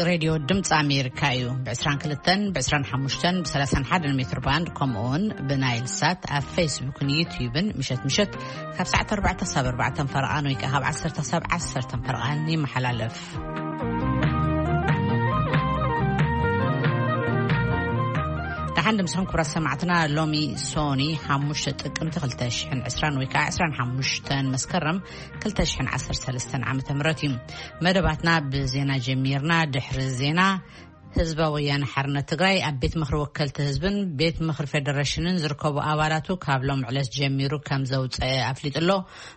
ሬድዮ ድምፂ ኣሜሪካ እዩ። ብ22፣ ብ25፣ ብ31 ሜትር ባንድ፣ ከምኡ እውን ብናይል ሳት ኣብ ፌስቡክን ዩትዩብን ምሸት ምሸት ካብ ሰዓት ኣርባዕተ ክሳብ ኣርባዕተ ፈረቓን ወይ ከዓ ካብ ዓሰርተ ክሳብ ዓሰርተ ፈረቓን ይመሓላለፍ። ደሓን ድምስኹም ክቡራት ሰማዕትና። ሎሚ ሶኒ ሓሙሽተ ጥቅምቲ ክልተ ሽሕን ዕስራን ወይ ከዓ ዕስራን ሓሙሽተን መስከረም ክልተ ሽሕን ዓሰርተ ሰለስተን ዓመተ ምህረት እዩ። መደባትና ብዜና ጀሚርና። ድሕሪ ዜና፣ ህዝባዊ ወያነ ሓርነት ትግራይ ኣብ ቤት ምኽሪ ወከልቲ ህዝብን ቤት ምኽሪ ፌደሬሽንን ዝርከቡ ኣባላቱ ካብ ሎም ዕለት ጀሚሩ ከም ዘውፀአ ኣፍሊጡ ኣሎ።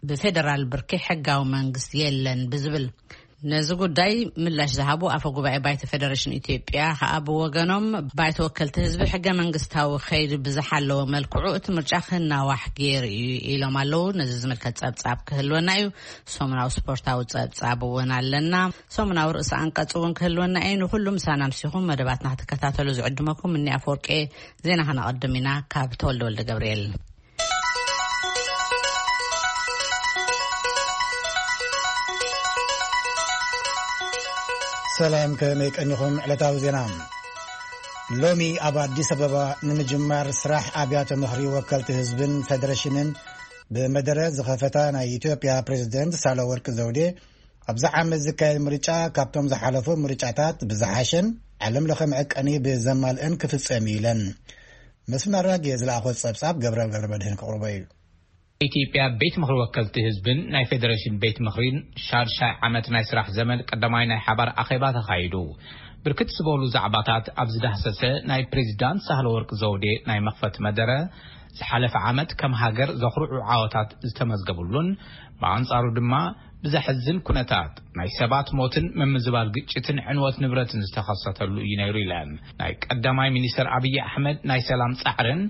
ብፌደራል ብርኪ ሕጋዊ መንግስቲ የለን ብዝብል፣ ነዚ ጉዳይ ምላሽ ዝሃቡ ኣፈ ጉባኤ ባይቶ ፌደሬሽን ኢትዮጵያ ከኣ ብወገኖም፣ ባይቶ ወከልቲ ህዝቢ ሕገ መንግስታዊ ከይዱ ብዝሓለወ መልክዑ እቲ ምርጫ ክናዋሕ ገይሩ እዩ ኢሎም ኣለዉ። ነዚ ዝምልከት ጸብጻብ ክህልወና እዩ። ሰሙናዊ ስፖርታዊ ጸብጻብ እውን ኣለና። ሰሙናዊ ርእሰ ኣንቀጽ እውን ክህልወና እዩ። ንኹሉ ምሳና ምሲኹም መደባትና ክትከታተሉ ዝዕድመኩም እኒ ኣፈወርቄ። ዜና ከነቐድም ኢና ካብ ተወልደ ወልደ ገብርኤል። ሰላም፣ ከመይ ቀኒኹም? ዕለታዊ ዜና። ሎሚ ኣብ ኣዲስ ኣበባ ንምጅማር ስራሕ ኣብያተ ምኽሪ ወከልቲ ህዝብን ፌደሬሽንን ብመደረ ዝኸፈታ ናይ ኢትዮጵያ ፕሬዝደንት ሳህለወርቅ ዘውዴ፣ ኣብዚ ዓመት ዝካየድ ምርጫ ካብቶም ዝሓለፉ ምርጫታት ብዝሓሸን ዓለም ለኸ መዐቀኒ ብዘማልእን ክፍጸም እዩ ኢለን። መስፍን ኣራጌ ዝለኣኾ ጸብጻብ ገብረ ገብረ መድህን ክቕርቦ እዩ። ኢትዮጵያ ቤት ምኽሪ ወከልቲ ህዝብን ናይ ፌደሬሽን ቤት ምኽሪን ሻድሻይ ዓመት ናይ ስራሕ ዘመን ቀዳማይ ናይ ሓባር ኣኼባ ተኻይዱ። ብርክት ዝበሉ ዛዕባታት ኣብ ዝዳህሰሰ ናይ ፕሬዚዳንት ሳህለወርቅ ዘውዴ ናይ መኽፈቲ መደረ፣ ዝሓለፈ ዓመት ከም ሃገር ዘኹርዑ ዓወታት ዝተመዝገቡሉን፣ ብኣንጻሩ ድማ ብዘሕዝን ኩነታት ናይ ሰባት ሞትን ምምዝባል ግጭትን ዕንወት ንብረትን ዝተኸሰተሉ እዩ ነይሩ ኢለን። ናይ ቀዳማይ ሚኒስተር ኣብይ ኣሕመድ ናይ ሰላም ጻዕርን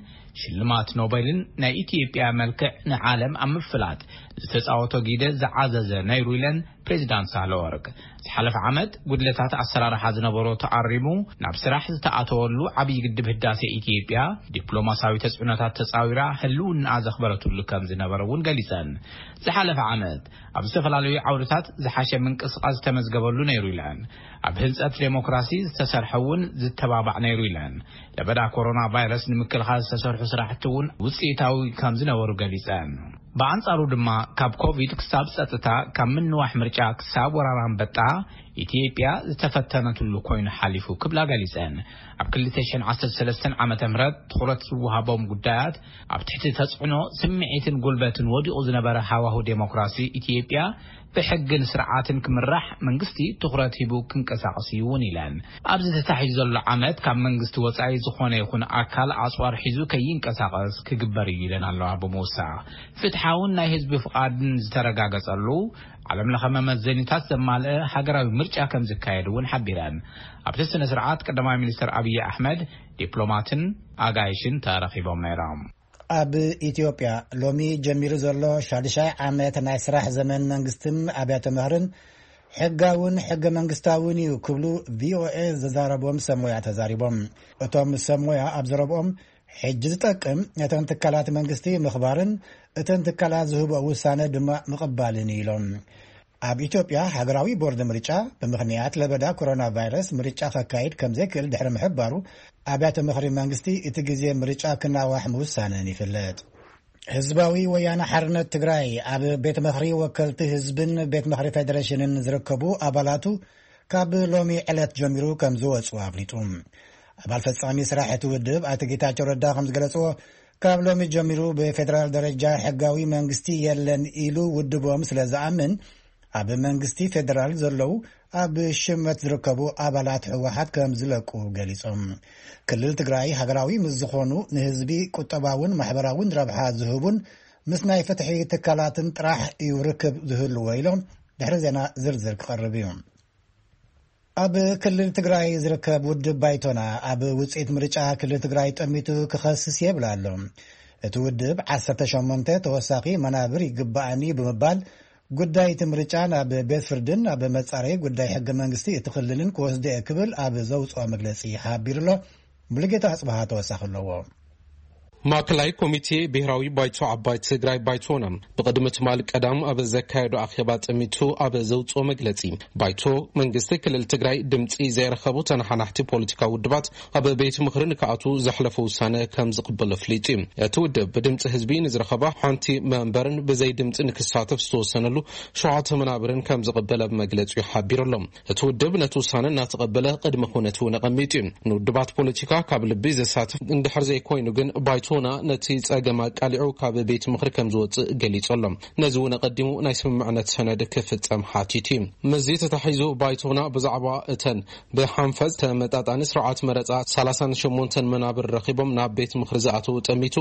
ሽልማት ኖቤልን ናይ ኢትዮጵያ መልክዕ ንዓለም ኣብ ምፍላጥ ዝተጻወቶ ግደ ዝዓዘዘ ነይሩ ኢለን ፕሬዚዳንት ሳህለወርቅ። ዝሓለፈ ዓመት ጉድለታት ኣሰራርሓ ዝነበሮ ተኣሪሙ ናብ ስራሕ ዝተኣተወሉ ዓብዪ ግድብ ህዳሴ ኢትዮጵያ ዲፕሎማሲያዊ ተጽዕኖታት ተጻዊራ ህልውናኣ ዘኽበረትሉ ከም ዝነበረ እውን ገሊጸን። ዝሓለፈ ዓመት ኣብ ዝተፈላለዩ ዓውድታት ዝሓሸ ምንቅስቃስ ዝተመዝገበሉ ነይሩ ኢለን። ኣብ ህንጸት ዴሞክራሲ ዝተሰርሐ እውን ዝተባባዕ ነይሩ ኢለን። ለበዳ ኮሮና ቫይረስ ንምክልኻል ዝተሰርሑ ስራሕቲ እውን ውፅኢታዊ ከም ዝነበሩ ገሊፀን። ብኣንጻሩ ድማ ካብ ኮቪድ ክሳብ ጸጥታ፣ ካብ ምንዋሕ ምርጫ ክሳብ ወራር ኣንበጣ ኢትዮጵያ ዝተፈተነትሉ ኮይኑ ሓሊፉ ክብላ ገሊጸን። ኣብ ክልተ ሽሕን ዓሰርተ ሰለስተን ዓመተ ምህረት ትኹረት ዝወሃቦም ጉዳያት ኣብ ትሕቲ ተጽዕኖ ስምዒትን ጉልበትን ወዲቑ ዝነበረ ሃዋሁ ዴሞክራሲ ኢትዮጵያ ብሕግን ስርዓትን ክምራሕ መንግስቲ ትኹረት ሂቡ ክንቀሳቐስ እዩ እውን ኢለን። ኣብዚ ተታሒዙ ዘሎ ዓመት ካብ መንግስቲ ወጻኢ ዝኾነ ይኹን ኣካል ኣጽዋር ሒዙ ከይንቀሳቐስ ክግበር እዩ ኢለን ኣለዋ ብምውሳኽ። ፍትሓውን ናይ ህዝቢ ፍቓድን ዝተረጋገጸሉ ዓለም ለኸ መመዘኒታት ዘማልአ ሃገራዊ ምርጫ ከም ዝካየድ እውን ሓቢረን። ኣብቲ ስነ ስርዓት ቀዳማይ ሚኒስትር ኣብይ ኣሕመድ፣ ዲፕሎማትን ኣጋይሽን ተረኺቦም ነይሮም። ኣብ ኢትዮጵያ ሎሚ ጀሚሩ ዘሎ ሻድሻይ ዓመት ናይ ስራሕ ዘመን መንግስትን ኣብያተ ምህርን ሕጋውን ሕገ መንግስታውን እዩ ክብሉ ቪኦኤ ዘዛረቦም ሰብ ሞያ ተዛሪቦም። እቶም ሰብ ሞያ ኣብ ዘረብኦም፣ ሕጂ ዝጠቅም ነተን ትካላት መንግስቲ ምኽባርን እተን ትካላት ዝህብኦ ውሳነ ድማ ምቕባልን እዩ ኢሎም። ኣብ ኢትዮጵያ ሃገራዊ ቦርድ ምርጫ ብምኽንያት ለበዳ ኮሮና ቫይረስ ምርጫ ከካይድ ከም ዘይክእል ድሕሪ ምሕባሩ፣ ኣብያተ ምኽሪ መንግስቲ እቲ ግዜ ምርጫ ክናዋሕ ምውሳነን ይፍለጥ። ህዝባዊ ወያነ ሓርነት ትግራይ ኣብ ቤት ምኽሪ ወከልቲ ህዝብን ቤት ምኽሪ ፌዴሬሽንን ዝርከቡ ኣባላቱ ካብ ሎሚ ዕለት ጀሚሩ ከም ዝወፁ ኣፍሊጡ። ኣባል ፈጻሚ ስራሕ እቲ ውድብ ኣቶ ጌታቸው ረዳ ከም ዝገለፅዎ፣ ካብ ሎሚ ጀሚሩ ብፌዴራል ደረጃ ሕጋዊ መንግስቲ የለን ኢሉ ውድቦም ስለ ዝኣምን፣ ኣብ መንግስቲ ፌዴራል ዘለዉ ኣብ ሽመት ዝርከቡ ኣባላት ህወሓት ከም ዝለቁ ገሊጾም። ክልል ትግራይ ሃገራዊ ምስ ዝኾኑ ንህዝቢ ቁጠባውን ማሕበራውን ረብሓ ዝህቡን ምስ ናይ ፍትሒ ትካላትን ጥራሕ እዩ ርክብ ዝህልዎ ኢሎም። ድሕሪ ዜና ዝርዝር ክቐርብ እዩ። ኣብ ክልል ትግራይ ዝርከብ ውድብ ባይቶና ኣብ ውፅኢት ምርጫ ክልል ትግራይ ጠሚቱ ክኸስስ የብል ኣሎ። እቲ ውድብ ዓሰርተ ሸሞንተ ተወሳኺ መናብር ይግባኣኒ ብምባል ጉዳይ እቲ ምርጫ ናብ ቤት ፍርድን ኣብ መጻረይ ጉዳይ ሕገ መንግስቲ እቲ ክልልን ክወስዶ እየ ክብል ኣብ ዘውፅኦ መግለፂ ሓቢሩ ኣሎ። ሙሉጌታ ኣፅበሃ ተወሳኺ ኣለዎ። ማእከላይ ኮሚቴ ብሄራዊ ባይቶ ዓባይ ትግራይ፣ ባይቶና፣ ብቕድሚ ትማል ቀዳም ኣብ ዘካየዶ ኣኼባ ጠሚቱ ኣብ ዘውፅኦ መግለፂ፣ ባይቶ መንግስቲ ክልል ትግራይ ድምፂ ዘይረኸቡ ተነሓናሕቲ ፖለቲካዊ ውድባት ኣብ ቤት ምኽሪ ንክኣቱ ዘሕለፎ ውሳነ ከም ዝቕበሎ ኣፍሊጡ እዩ። እቲ ውድብ ብድምፂ ህዝቢ ንዝረኸባ ሓንቲ መንበርን ብዘይ ድምፂ ንክሳተፍ ዝተወሰነሉ ሸውዓተ መናብርን ከም ዝቕበል ኣብ መግለፂኡ ሓቢሩ ኣሎ። እቲ ውድብ ነቲ ውሳነ እናተቐበለ ቅድመ ኩነት እውን ኣቐሚጡ እዩ። ንውድባት ፖለቲካ ካብ ልቢ ዘሳትፍ እንድሕር ዘይኮይኑ ግን ባይቶና ነቲ ጸገም ኣቃሊዑ ካብ ቤት ምኽሪ ከም ዝወጽእ ገሊጹ ኣሎ። ነዚ እውን ኣቐዲሙ ናይ ስምምዕነት ሰነድ ክፍጸም ሓቲቱ እዩ። ምስዚ ተታሒዙ ባይቶና ብዛዕባ እተን ብሓንፈጽ ተመጣጣኒ ስርዓት መረጻ ሰላሳን ሸሞንተን መናብር ረኺቦም ናብ ቤት ምኽሪ ዝኣተዉ ጠሚቱ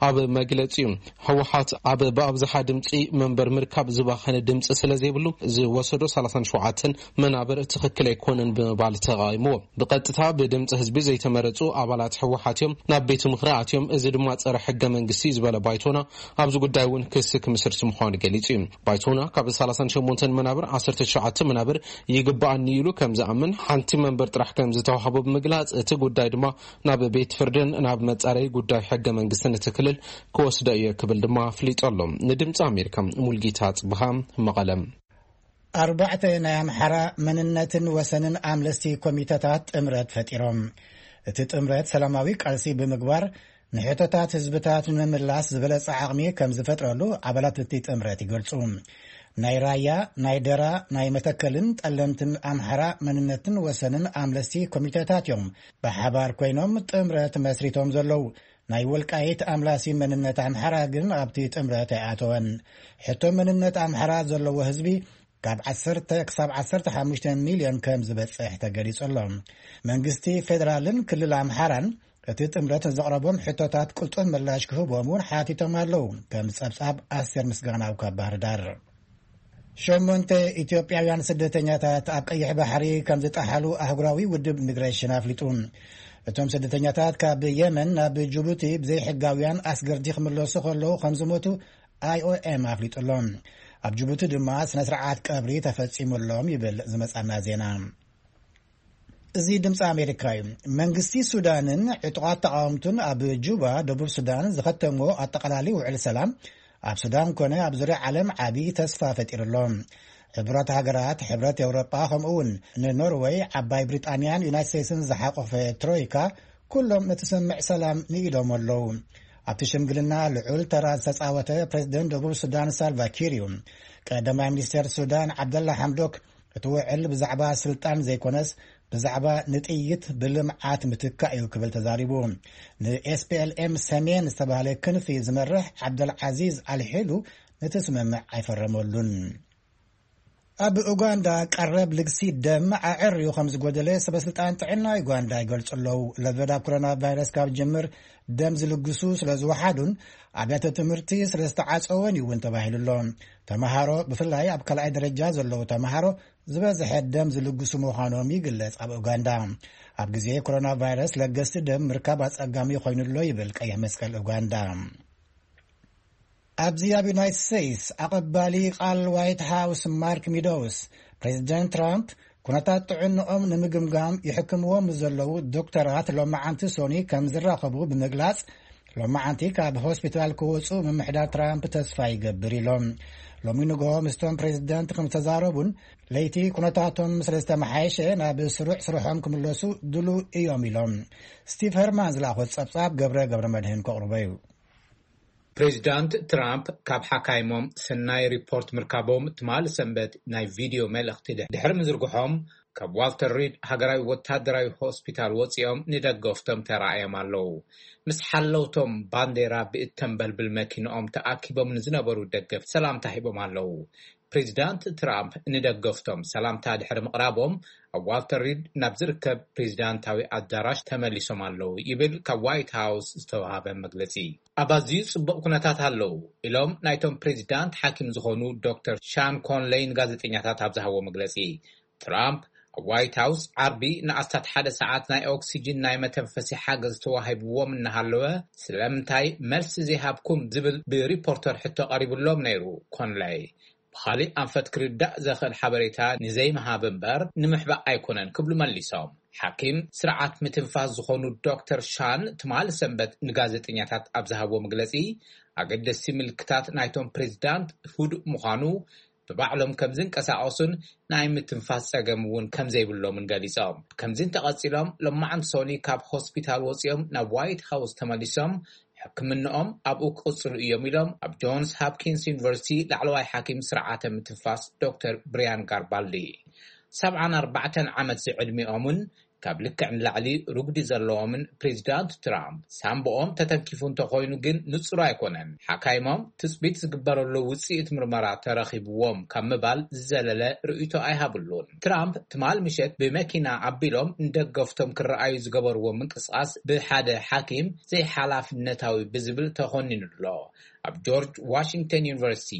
ኣብ መግለጺኡ ህወሓት ኣብ ብኣብዝሓ ድምፂ መንበር ምርካብ ዝባኸነ ድምፂ ስለ ዘይብሉ ዝወሰዶ ሰላሳን ሸውዓተን መናብር ትኽክል ኣይኮነን ብምባል ተቓይምዎ። ብቐጥታ ብድምፂ ህዝቢ ዘይተመረፁ ኣባላት ህወሓት እዮም ናብ ቤት ምኽሪ ኣትዮም፣ እዚ ድማ ፀረ ሕገ መንግስቲ ዝበለ ባይቶና ኣብዚ ጉዳይ እውን ክሲ ክምስርት ምዃኑ ገሊፁ እዩ። ባይቶና ካብ ሰላሳን ሸሞንተን መናብር ዓሰርተ ትሽዓተ መናብር ይግባኣኒ ኢሉ ከም ዝኣምን፣ ሓንቲ መንበር ጥራሕ ከም ዝተዋህቦ ብምግላፅ፣ እቲ ጉዳይ ድማ ናብ ቤት ፍርድን ናብ መፃረይ ጉዳይ ሕገ መንግስትን እቲ ክልል ክወስዶ እየ ክብል ድማ ኣፍሊጡ ኣሎ። ንድምፂ ኣሜሪካ ሙልጌታ ጽብሃ፣ መቐለ። ኣርባዕተ ናይ ኣምሓራ መንነትን ወሰንን ኣምለስቲ ኮሚተታት ጥምረት ፈጢሮም። እቲ ጥምረት ሰላማዊ ቃልሲ ብምግባር ንሕቶታት ህዝብታት ንምምላስ ዝበለጸ ዓቕሚ ከም ዝፈጥረሉ ኣባላት እቲ ጥምረት ይገልጹ። ናይ ራያ፣ ናይ ደራ፣ ናይ መተከልን ጠለምትን ኣምሓራ መንነትን ወሰንን ኣምለስቲ ኮሚተታት እዮም ብሓባር ኮይኖም ጥምረት መስሪቶም ዘለዉ። ናይ ወልቃይት ኣምላሲ መንነት ኣምሓራ ግን ኣብቲ ጥምረት ኣይኣተወን። ሕቶ መንነት ኣምሓራ ዘለዎ ህዝቢ ካብ ዓሰርተ ክሳብ ዓሰርተ ሓሙሽተ ሚልዮን ከም ዝበጽሕ ተገሊጹ ኣሎ። መንግስቲ ፌደራልን ክልል ኣምሓራን እቲ ጥምረት ዘቕረቦም ሕቶታት ቅልጡፍ ምላሽ ክህቦም እውን ሓቲቶም ኣለዉ። ከም ጸብጻብ ኣስቴር ምስጋናው ካብ ባህር ዳር። ሸሞንተ ኢትዮጵያውያን ስደተኛታት ኣብ ቀይሕ ባሕሪ ከም ዝጠሓሉ ኣህጉራዊ ውድብ ሚግሬሽን ኣፍሊጡ። እቶም ስደተኛታት ካብ የመን ናብ ጅቡቲ ብዘይሕጋውያን ኣስገርቲ ክምለሱ ከለዉ ከም ዝሞቱ ኣይ ኦ ኤም ኣፍሊጡ ኣሎ። ኣብ ጅቡቲ ድማ ስነ ስርዓት ቀብሪ ተፈጺሙሎም ይብል ዝመጻና ዜና። እዚ ድምፂ ኣሜሪካ እዩ። መንግስቲ ሱዳንን ዕጡቓት ተቃወምቱን ኣብ ጁባ፣ ደቡብ ሱዳን ዝኸተምዎ ኣጠቓላሊ ውዕል ሰላም ኣብ ሱዳን ኮነ ኣብ ዙርያ ዓለም ዓቢ ተስፋ ፈጢሩ ኣሎ። ሕቡራት ሃገራት፣ ሕብረት ኤውሮጳ፣ ከምኡ እውን ንኖርወይ፣ ዓባይ ብሪጣንያን ዩናይትድ ስቴትስን ዝሓቆፈ ትሮይካ ኩሎም ነቲ ስምምዕ ሰላም ንኢዶም ኣለዉ። ኣብቲ ሽምግልና ልዑል ተራ ዝተጻወተ ፕሬዚደንት ደቡብ ሱዳን ሳልቫ ኪር እዩ። ቀዳማይ ሚኒስተር ሱዳን ዓብደላ ሓምዶክ እቲ ውዕል ብዛዕባ ስልጣን ዘይኮነስ ብዛዕባ ንጥይት ብልምዓት ምትካእ እዩ ክብል ተዛሪቡ። ን ኤስ ፒ ኤል ኤም ሰሜን ዝተባህለ ክንፊ ዝመርሕ ዓብደልዓዚዝ ኣልሒሉ ነቲ ስምምዕ ኣይፈረመሉን። ኣብ ኡጋንዳ ቀረብ ልግሲ ደም ኣዐርዩ ከም ዝጎደለ ሰበ ስልጣን ጥዕና ኡጋንዳ ይገልጹ ኣለዉ። ለበዳ ኮሮና ቫይረስ ካብ ጅምር ደም ዝልግሱ ስለ ዝወሓዱን ኣብያተ ትምህርቲ ስለ ዝተዓጸወን እዩ እውን ተባሂሉ ኣሎ። ተመሃሮ ብፍላይ ኣብ ካልኣይ ደረጃ ዘለዉ ተመሃሮ ዝበዝሐ ደም ዝልግሱ ምዃኖም ይግለጽ። ኣብ ኡጋንዳ ኣብ ግዜ ኮሮና ቫይረስ ለገስቲ ደም ምርካብ ኣጸጋሚ ኮይኑ ኣሎ ይብል ቀይሕ መስቀል ኡጋንዳ። ኣብዚ ኣብ ዩናይትድ ስቴትስ ኣቐባሊ ቃል ዋይት ሃውስ ማርክ ሚዶውስ ፕሬዚደንት ትራምፕ ኩነታት ጥዕንኦም ንምግምጋም ይሕክምዎም ዘለዉ ዶክተራት ሎማዓንቲ ሶኒ ከም ዝራኸቡ ብምግላጽ ሎማዓንቲ ካብ ሆስፒታል ክወፁ ምምሕዳር ትራምፕ ተስፋ ይገብር ኢሎም። ሎሚ ንግሆ ምስቶም ፕሬዚደንት ከም ዝተዛረቡን ለይቲ ኩነታቶም ስለ ዝተመሓየሸ ናብ ስሩዕ ስርሖም ክምለሱ ድሉ እዮም ኢሎም። ስቲቭ ሄርማን ዝለኣኾ ጸብጻብ ገብረ ገብረ መድህን ከቕርቦ እዩ። ፕሬዚዳንት ትራምፕ ካብ ሓካይሞም ሰናይ ሪፖርት ምርካቦም ትማል ሰንበት ናይ ቪድዮ መልእኽቲ ድሕ- ድሕሪ ምዝርግሖም፣ ካብ ዋልተር ሪድ ሃገራዊ ወታደራዊ ሆስፒታል ወጺኦም ንደገፍቶም ተራእዮም ኣለዉ። ምስ ሓለውቶም ባንዴራ ብእተንበልብል መኪንኦም ተኣኪቦም ንዝነበሩ ደገፍቲ ሰላምታ ሂቦም ኣለዉ። ፕሬዚዳንት ትራምፕ ንደገፍቶም ሰላምታ ድሕሪ ምቕራቦም፣ ኣብ ዋልተር ሪድ ናብ ዝርከብ ፕሬዚዳንታዊ ኣዳራሽ ተመሊሶም ኣለዉ ይብል ካብ ዋይት ሃውስ ዝተዋሃበ መግለጺ። ኣብ ኣዝዩ ጽቡቕ ኩነታት ኣለዉ ኢሎም ናይቶም ፕሬዚዳንት ሓኪም ዝኾኑ ዶክተር ሻን ኮንለይ ንጋዜጠኛታት ኣብ ዝሃብዎ መግለጺ። ትራምፕ ኣብ ዋይት ሃውስ ዓርቢ ንኣስታት ሓደ ሰዓት ናይ ኦክሲጅን ናይ መተንፈሲ ሓገዝ ተዋሂብዎም እናሃለወ፣ ስለምንታይ መልሲ ዘይሃብኩም ዝብል ብሪፖርተር ሕቶ ቀሪብሎም ነይሩ። ኮንለይ ብኻሊእ ኣንፈት ክርዳእ ዘኽእል ሓበሬታ ንዘይምሃብ እምበር ንምሕባእ ኣይኮነን ክብሉ መሊሶም። ሓኪም ስርዓት ምትንፋስ ዝኾኑ ዶክተር ሻን ትማል ሰንበት ንጋዜጠኛታት ኣብ ዝሃብዎ መግለጺ፣ ኣገደስቲ ምልክታት ናይቶም ፕሬዚዳንት ህዱእ ምዃኑ፣ ብባዕሎም ከም ዝንቀሳቐሱን ናይ ምትንፋስ ጸገም እውን ከም ዘይብሎምን ገሊጾም። ከምዚ እንተቐጺሎም፣ ሎማዓንቲ ሶኒ ካብ ሆስፒታል ወጺኦም ናብ ዋይት ሃውስ ተመሊሶም ሕክምንኦም ኣብኡ ክቕጽሉ እዮም ኢሎም ኣብ ጆንስ ሃፕኪንስ ዩኒቨርሲቲ ላዕለዋይ ሓኪም ስርዓተ ምትንፋስ ዶክተር ብሪያን ጋርባልዲ። ሰብዓን ኣርባዕተን ዓመት ዝዕድሚኦምን ካብ ልክዕ ንላዕሊ ሩግዲ ዘለዎምን ፕሬዚዳንት ትራምፕ፣ ሳምቦኦም ተተንኪፉ እንተኾይኑ ግን ንጹር ኣይኮነን። ሓካይሞም ትጽቢት ዝግበረሉ ውጽኢት ምርመራ ተረኺብዎም ካብ ምባል ዝዘለለ ርእይቶ ኣይሃብሉን። ትራምፕ ትማል ምሸት ብመኪና ኣቢሎም ንደገፍቶም ክረኣዩ ዝገበርዎ ምንቅስቓስ ብሓደ ሓኪም ዘይሓላፍነታዊ ብዝብል ተኾኒኑ ኣሎ። ኣብ ጆርጅ ዋሽንግተን ዩኒቨርሲቲ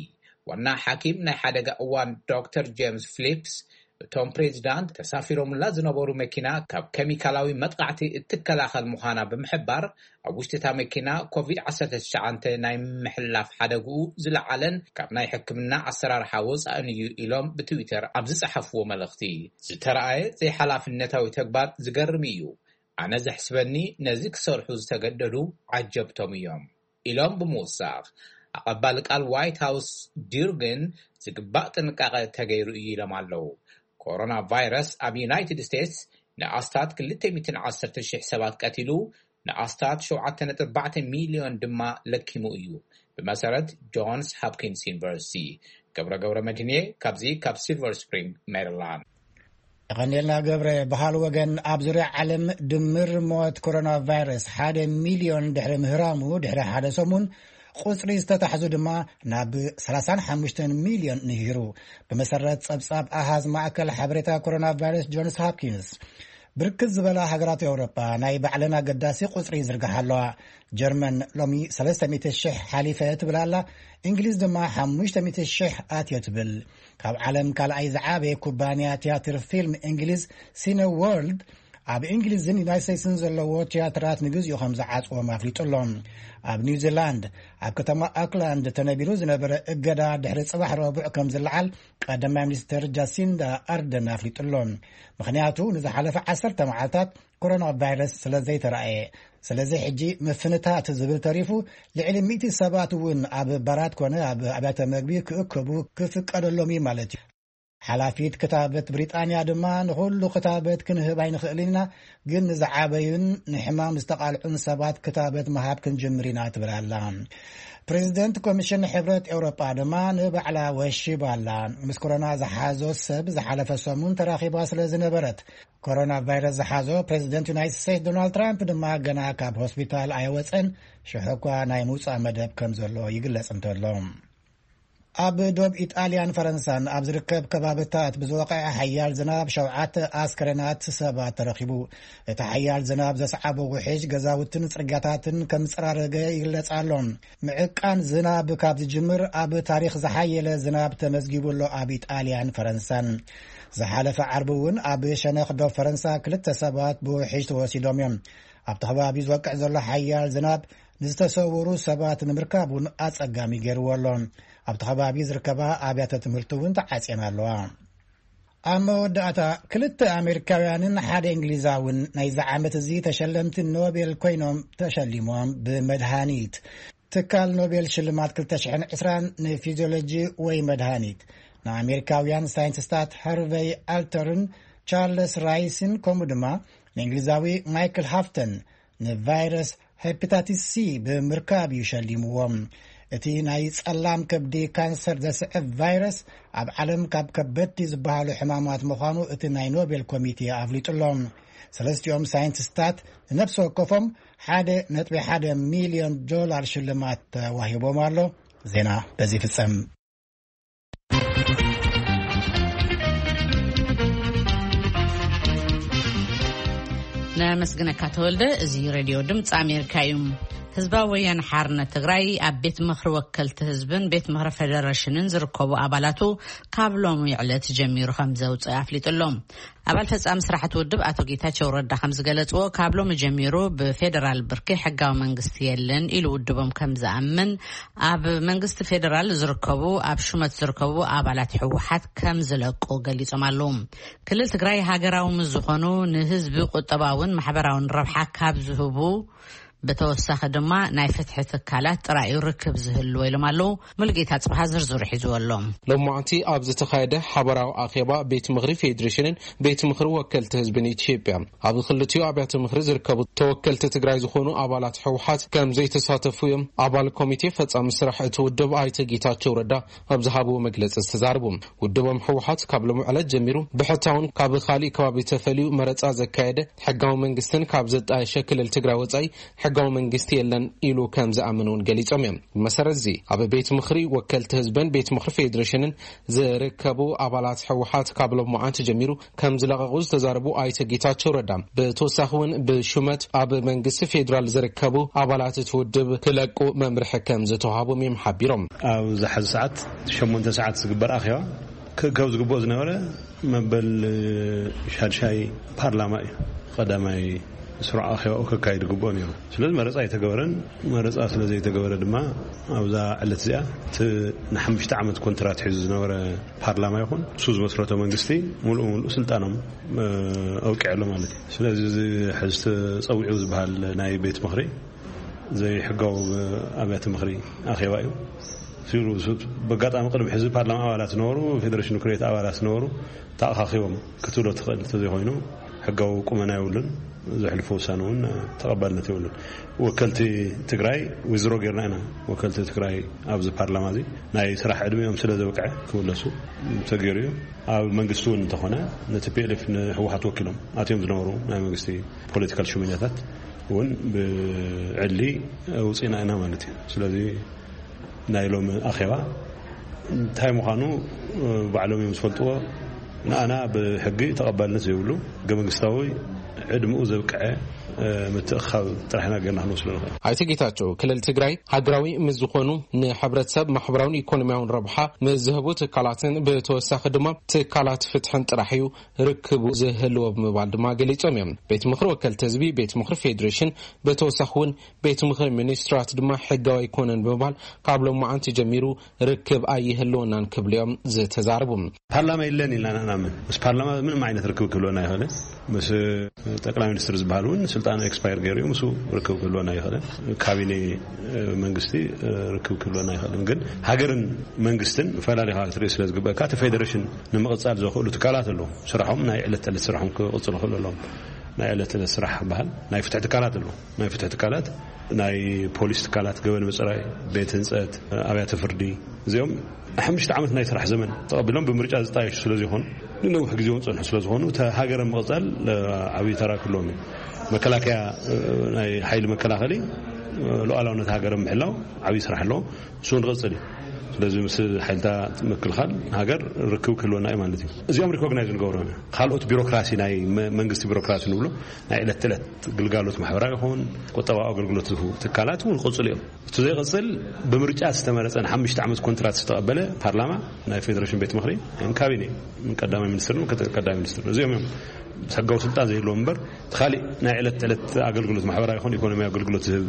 ዋና ሓኪም ናይ ሓደጋ እዋን ዶክተር ጄምስ ፊሊፕስ፣ እቶም ፕሬዚዳንት ተሳፊሮምላ ዝነበሩ መኪና ካብ ኬሚካላዊ መጥቃዕቲ እትከላኸል ምዃና ብምሕባር፣ ኣብ ውሽጢ እታ መኪና ኮቪድ ዓሰርተ ትሽዓተ ናይ ምሕላፍ ሓደግኡ ዝለዓለን ካብ ናይ ሕክምና ኣሰራርሓ ወጻእን እዩ ኢሎም ብትዊተር ኣብ ዝጸሓፍዎ መልእኽቲ፣ ዝተረኣየ ዘይሓላፍነታዊ ተግባር ዝገርም እዩ። ኣነ ዘሕስበኒ ነዚ ክሰርሑ ዝተገደዱ ዓጀብቶም እዮም ኢሎም ብምውሳኽ፣ ኣቐባሊ ቃል ዋይት ሃውስ ዲርግን ዝግባእ ጥንቃቐ ተገይሩ እዩ ኢሎም ኣለዉ። ኮሮና ቫይረስ ኣብ ዩናይትድ ስቴትስ ንኣስታት ክልተ ሚእትን ዓሰርተ ሺሕ ሰባት ቀቲሉ፣ ንኣስታት ሸውዓተ ነጥቢ ኣርባዕተ ሚልዮን ድማ ለኪሙ እዩ። ብመሰረት ጆንስ ሃፕኪንስ ዩኒቨርሲቲ፣ ገብረ ገብረ መድህንየ ካብዚ ካብ ሲልቨር ስፕሪንግ ሜሪላንድ። የቐንየልና ገብረ። በሃል ወገን ኣብ ዙርያ ዓለም ድምር ሞት ኮሮና ቫይረስ ሓደ ሚልዮን ድሕሪ ምህራሙ፣ ድሕሪ ሓደ ሰሙን ቁጽሪ ዝተታሕዙ ድማ ናብ ሰላሳን ሓሙሽተን ሚልዮን ንሂሩ። ብመሰረት ጸብጻብ ኣሃዝ ማእከል ሓበሬታ ኮሮና ቫይረስ ጆንስ ሃፕኪንስ፣ ብርክት ዝበላ ሃገራት ኤውሮጳ ናይ ባዕለን ኣገዳሲ ቁጽሪ ይዝርግሓ ኣለዋ። ጀርመን ሎሚ ሰለስተ ሚእቲ ሽሕ ሓሊፈ ትብል ኣላ። እንግሊዝ ድማ ሓሙሽተ ሚእቲ ሽሕ ኣትዮ ትብል። ካብ ዓለም ካልኣይ ዝዓበየ ኩባንያ ትያትር ፊልም እንግሊዝ ሲነ ወርልድ፣ ኣብ እንግሊዝን ዩናይት ስቴትስን ዘለዎ ትያትራት ንግዚኡ ከም ዝዓጽዎም ኣፍሊጡ ኣሎ። ኣብ ኒውዚላንድ ኣብ ከተማ ኣክላንድ ተነቢሩ ዝነበረ እገዳ ድሕሪ ጽባሕ ረቡዕ ከም ዝለዓል ቀዳማይ ሚኒስትር ጃሲንዳ ኣርደን ኣፍሊጡ ኣሎ። ምኽንያቱ ንዝሓለፈ ዓሰርተ መዓልታት ኮሮና ቫይረስ ስለ ዘይተራእየ። ስለዚ ሕጂ ምፍንታት ዝብል ተሪፉ፣ ልዕሊ ሚእቲ ሰባት እውን ኣብ ባራት ኮነ ኣብ ኣብያተ መግቢ ክእከቡ ክፍቀደሎም እዩ ማለት እዩ። ሓላፊት ክታበት ብሪጣንያ ድማ፣ ንኹሉ ክታበት ክንህብ ኣይንኽእልን ኢና፣ ግን ንዝዓበዩን ንሕማም ዝተቓልዑን ሰባት ክታበት ምሃብ ክንጅምር ኢና ትብል ኣላ። ፕሬዚደንት ኮሚሽን ሕብረት ኤውሮጳ ድማ ንባዕላ ወሺባ ኣላ። ምስ ኮሮና ዝሓዞ ሰብ ዝሓለፈ ሰሙን ተራኺባ ስለ ዝነበረት፣ ኮሮና ቫይረስ ዝሓዞ ፕሬዚደንት ዩናይትድ ስቴትስ ዶናልድ ትራምፕ ድማ ገና ካብ ሆስፒታል ኣይወፀን፣ ሽሕ እኳ ናይ ምውፃእ መደብ ከም ዘሎ ይግለጽ እንተሎ። ኣብ ዶብ ኢጣልያን ፈረንሳን ኣብ ዝርከብ ከባብታት ብዝወቕዐ ሓያል ዝናብ ሸውዓተ ኣስከሬናት ሰባት ተረኺቡ። እቲ ሓያል ዝናብ ዘስዓቦ ውሕጅ ገዛውትን ጽርግያታትን ከም ዝጸራረገ ይግለጽ ኣሎ። ምዕቃን ዝናብ ካብ ዝጅምር ኣብ ታሪኽ ዝሓየለ ዝናብ ተመዝጊቡ ኣሎ ኣብ ኢጣልያን ፈረንሳን። ዝሓለፈ ዓርቢ እውን ኣብ ሸነኽ ዶብ ፈረንሳ ክልተ ሰባት ብውሕጅ ተወሲዶም እዮም። ኣብቲ ከባቢ ዝወቅዕ ዘሎ ሓያል ዝናብ ንዝተሰወሩ ሰባት ንምርካብ እውን ኣጸጋሚ ገይርዎ ኣሎ። ኣብቲ ከባቢ ዝርከባ ኣብያተ ትምህርቲ እውን ተዓጽየን ኣለዋ። ኣብ መወዳእታ፣ ክልተ ኣሜሪካውያንን ሓደ እንግሊዛውን ናይዚ ዓመት እዚ ተሸለምቲ ኖቤል ኮይኖም ተሸሊሞም። ብመድሃኒት፣ ትካል ኖቤል ሽልማት ክልተ ሽሕን ዕስራን ንፊዚዮሎጂ ወይ መድሃኒት ንኣሜሪካውያን ሳይንቲስታት ሃርቨይ ኣልተርን ቻርለስ ራይስን፣ ከምኡ ድማ ንእንግሊዛዊ ማይክል ሃፍተን ንቫይረስ ሄፓታይቲስ ሲ ብምርካብ እዩ ሸሊምዎም። እቲ ናይ ጸላም ከብዲ ካንሰር ዘስዕብ ቫይረስ ኣብ ዓለም ካብ ከበድቲ ዝበሃሉ ሕማማት ምዃኑ እቲ ናይ ኖቤል ኮሚቴ ኣፍሊጡ ኣሎ። ሰለስቲኦም ሳይንቲስታት ንነፍሲ ወከፎም ሓደ ነጥቢ ሓደ ሚልዮን ዶላር ሽልማት ተዋሂቦም ኣሎ። ዜና በዚ ይፍጸም። ነመስግነካ ተወልደ። እዚ ሬድዮ ድምፂ ኣሜሪካ እዩ። ህዝባዊ ወያነ ሓርነት ትግራይ ኣብ ቤት ምኽሪ ወከልቲ ህዝብን ቤት ምኽሪ ፌደሬሽንን ዝርከቡ ኣባላቱ ካብ ሎሚ ዕለት ጀሚሩ ከም ዘውፅእ ኣፍሊጡ ኣሎ። ኣባል ፈጻሚ ስራሕቲ ውድብ ኣቶ ጌታቸው ረዳ ከም ዝገለፅዎ፣ ካብ ሎሚ ጀሚሩ ብፌደራል ብርኪ ሕጋዊ መንግስቲ የለን ኢሉ ውድቦም ከም ዝኣምን፣ ኣብ መንግስቲ ፌደራል ዝርከቡ፣ ኣብ ሹመት ዝርከቡ ኣባላት ህወሓት ከም ዝለቁ ገሊጾም ኣለዉ። ክልል ትግራይ ሃገራዊ ምስ ዝኾኑ ንህዝቢ ቁጠባውን ማሕበራውን ረብሓ ካብ ዝህቡ ብተወሳኺ ድማ ናይ ፍትሒ ትካላት ጥራይ እዩ ርክብ ዝህልዎ ኢሎም ኣለዉ። ሙሉጌታ ጽብሃ ዝርዝሩ ሒዝዎ ኣሎ። ሎማዕንቲ ኣብ ዝተኻየደ ሓበራዊ ኣኼባ ቤት ምኽሪ ፌዴሬሽንን ቤት ምኽሪ ወከልቲ ህዝብን ኢትዮጵያ፣ ኣብ ክልቲኡ ኣብያተ ምኽሪ ዝርከቡ ተወከልቲ ትግራይ ዝኾኑ ኣባላት ህወሓት ከም ዘይተሳተፉ እዮም ኣባል ኮሚቴ ፈጻሚ ስራሕ እቲ ውድብ ኣይተ ጌታቸው ረዳ ኣብ ዝሃብዎ መግለጺ ዝተዛረቡ። ውድቦም ህወሓት ካብ ሎሚ ዕለት ጀሚሩ ብሕታውን ካብ ካሊእ ከባቢ ተፈልዩ መረጻ ዘካየደ ሕጋዊ መንግስትን ካብ ዘጣየሸ ክልል ትግራይ ወጻኢ ሕጋዊ መንግስቲ የለን ኢሉ ከም ዝኣምን እውን ገሊጾም እዮም። ብመሰረት እዚ ኣብ ቤት ምኽሪ ወከልቲ ህዝብን ቤት ምኽሪ ፌዴሬሽንን ዝርከቡ ኣባላት ህወሓት ካብ ሎማዓንቲ ጀሚሩ ከም ዝለቐቑ ዝተዛረቡ ኣይተ ጌታቸው ረዳ፣ ብተወሳኺ እውን ብሹመት ኣብ መንግስቲ ፌዴራል ዝርከቡ ኣባላት እቲ ውድብ ክለቁ መምርሒ ከም ዝተዋሃቦም እዮም ሓቢሮም። ኣብዚ ሐዚ ሰዓት ሸሞንተ ሰዓት ዝግበር ኣኼባ ክእከብ ዝግብኦ ዝነበረ መበል ሻድሻይ ፓርላማ እዩ። ቀዳማይ ስሩዕ ኣኼባኡ ከካይድ ግብኦ ነይሩ። ስለዚ መረፃ ኣይተገበረን። መረፃ ስለ ዘይተገበረ ድማ ኣብዛ ዕለት እዚኣ እቲ ንሓሙሽተ ዓመት ኮንትራት ሒዙ ዝነበረ ፓርላማ ይኹን እሱ ዝመስረቶ መንግስቲ ሙሉእ ሙሉእ ስልጣኖም ኣውቂዐሎ ማለት እዩ። ስለዚ እዚ ሕዚ ተፀዊዑ ዝበሃል ናይ ቤት ምኽሪ ዘይሕጋዊ ኣብያተ ምኽሪ ኣኼባ እዩ። ሲሉ ብኣጋጣሚ ቅድሚ ሕዚ ፓርላማ ኣባላት ዝነበሩ፣ ፌደሬሽን ምክር ቤት ኣባላት ዝነበሩ ተኣኻኺቦም ክትብሎ ትኽእል እንተዘይኮይኑ ሕጋዊ ቁመና የብሉን። ዘሕልፎ ውሳነ እውን ተቐባልነት የብሉን። ወከልቲ ትግራይ ዊዝድሮ ጌርና ኢና። ወከልቲ ትግራይ ኣብዚ ፓርላማ እዚ ናይ ስራሕ ዕድሜኦም ስለ ዘብቅዐ ክምለሱ ተገይሩ እዩ። ኣብ መንግስቲ እውን እንተኾነ ነቲ ፒ ኤል ኤፍ ንህወሓት ወኪሎም ኣትዮም ዝነበሩ ናይ መንግስቲ ፖለቲካል ሽመኛታት እውን ብዕሊ ውፅኢና ኢና ማለት እዩ። ስለዚ ናይ ሎሚ ኣኼባ እንታይ ምዃኑ ባዕሎም እዮም ዝፈልጥዎ። ንኣና ብሕጊ ተቐባልነት ዘይብሉ ሕገ መንግስታዊ ዕድምኡ ዘብቅዐ ምትእኻብ ጥራሕ ኢና ጌርና ክንወስዶ ንኽእል። ኣይተ ጌታቸው ክልል ትግራይ ሃገራዊ ምስ ዝኾኑ ንሕብረተሰብ ማሕበራውን ኢኮኖሚያውን ረብሓ ምስ ዝህቡ ትካላትን ብተወሳኺ ድማ ትካላት ፍትሕን ጥራሕ እዩ ርክቡ ዝህልዎ ብምባል ድማ ገሊጾም እዮም። ቤት ምኽሪ ወከልቲ ህዝቢ፣ ቤት ምኽሪ ፌዴሬሽን፣ ብተወሳኺ እውን ቤት ምኽሪ ሚኒስትራት ድማ ሕጋዊ ኣይኮነን ብምባል ካብ ሎማዓንቲ ጀሚሩ ርክብ ኣይህልወናን ክብሉ እዮም ዝተዛረቡ። ፓርላማ የለን ኢልና ንኣምን። ምስ ፓርላማ ምንም ዓይነት ርክብ ክህልወና ኣይኽእልን። ምስ ጠቅላይ ሚኒስትር ዝበሃል እውን ስልጣኑ ኤክስፓየር ገይሩ እዩ። ምስ ርክብ ክህልወና ኣይኽእልን። ካቢኔ መንግስቲ ርክብ ክህልወና ኣይኽእልን። ግን ሃገርን መንግስትን ፈላሊኻ ክትርኢ ስለ ዝግበእካ እቲ ፌዴሬሽን ንምቕጻል ዘኽእሉ ትካላት ኣለዉ። ስራሖም ናይ ዕለት ተዕለት ስራሖም ክቕጽሉ ክእሉ ኣለዎም። ናይ ዕለት ዕለት ስራሕ በሃል ናይ ፍትሒ ትካላት ኣለዉ። ናይ ፍትሒ ትካላት ናይ ፖሊስ ትካላት፣ ገበን ምጽራይ፣ ቤት ህንጸት፣ ኣብያተ ፍርዲ፣ እዚኦም ሓሙሽተ ዓመት ናይ ስራሕ ዘመን ተቐቢሎም ብምርጫ ዝጣየሹ ስለ ዝኾኑ ንነዊሕ ግዜ እውን ጸንሑ ስለ ዝኾኑ እታ ሃገር ምቕጻል ዓብዪ ተራ ክህልዎም እዩ። መከላከያ ናይ ሓይሊ መከላኸሊ ሉዓላውነት ሃገር ምሕላው ዓብዪ ስራሕ ኣለዎ። እሱ ንቕጽል እዩ። ስለዚ ምስ ሓይልታት ምክልኻል ሃገር ርክብ ክህልወና እዩ ማለት እዩ። እዚኦም ሪኮግናይዝ ንገብሮም ኢና። ካልኦት ቢሮክራሲ ናይ መንግስቲ ቢሮክራሲ ንብሎ ናይ ዕለት ተዕለት ግልጋሎት ማሕበራዊ ይኹን ቁጠባዊ ኣገልግሎት ዝህቡ ትካላት እውን ክቕፅሉ እዮም። እቲ ዘይቕፅል ብምርጫ ዝተመረፀ ንሓሙሽተ ዓመት ኮንትራት ዝተቐበለ ፓርላማ፣ ናይ ፌደሬሽን ቤት ምኽሪ፣ ካቢኔ፣ ቀዳማይ ሚኒስትርን ምክትል ቀዳማይ ሚኒስትርን እዚኦም እዮም ሕጋዊ ስልጣን ዘይህልዎም እምበር እቲ ካሊእ ናይ ዕለት ተዕለት ኣገልግሎት ማሕበራዊ ይኹን ኢኮኖሚያዊ ኣገልግሎት ዝህብ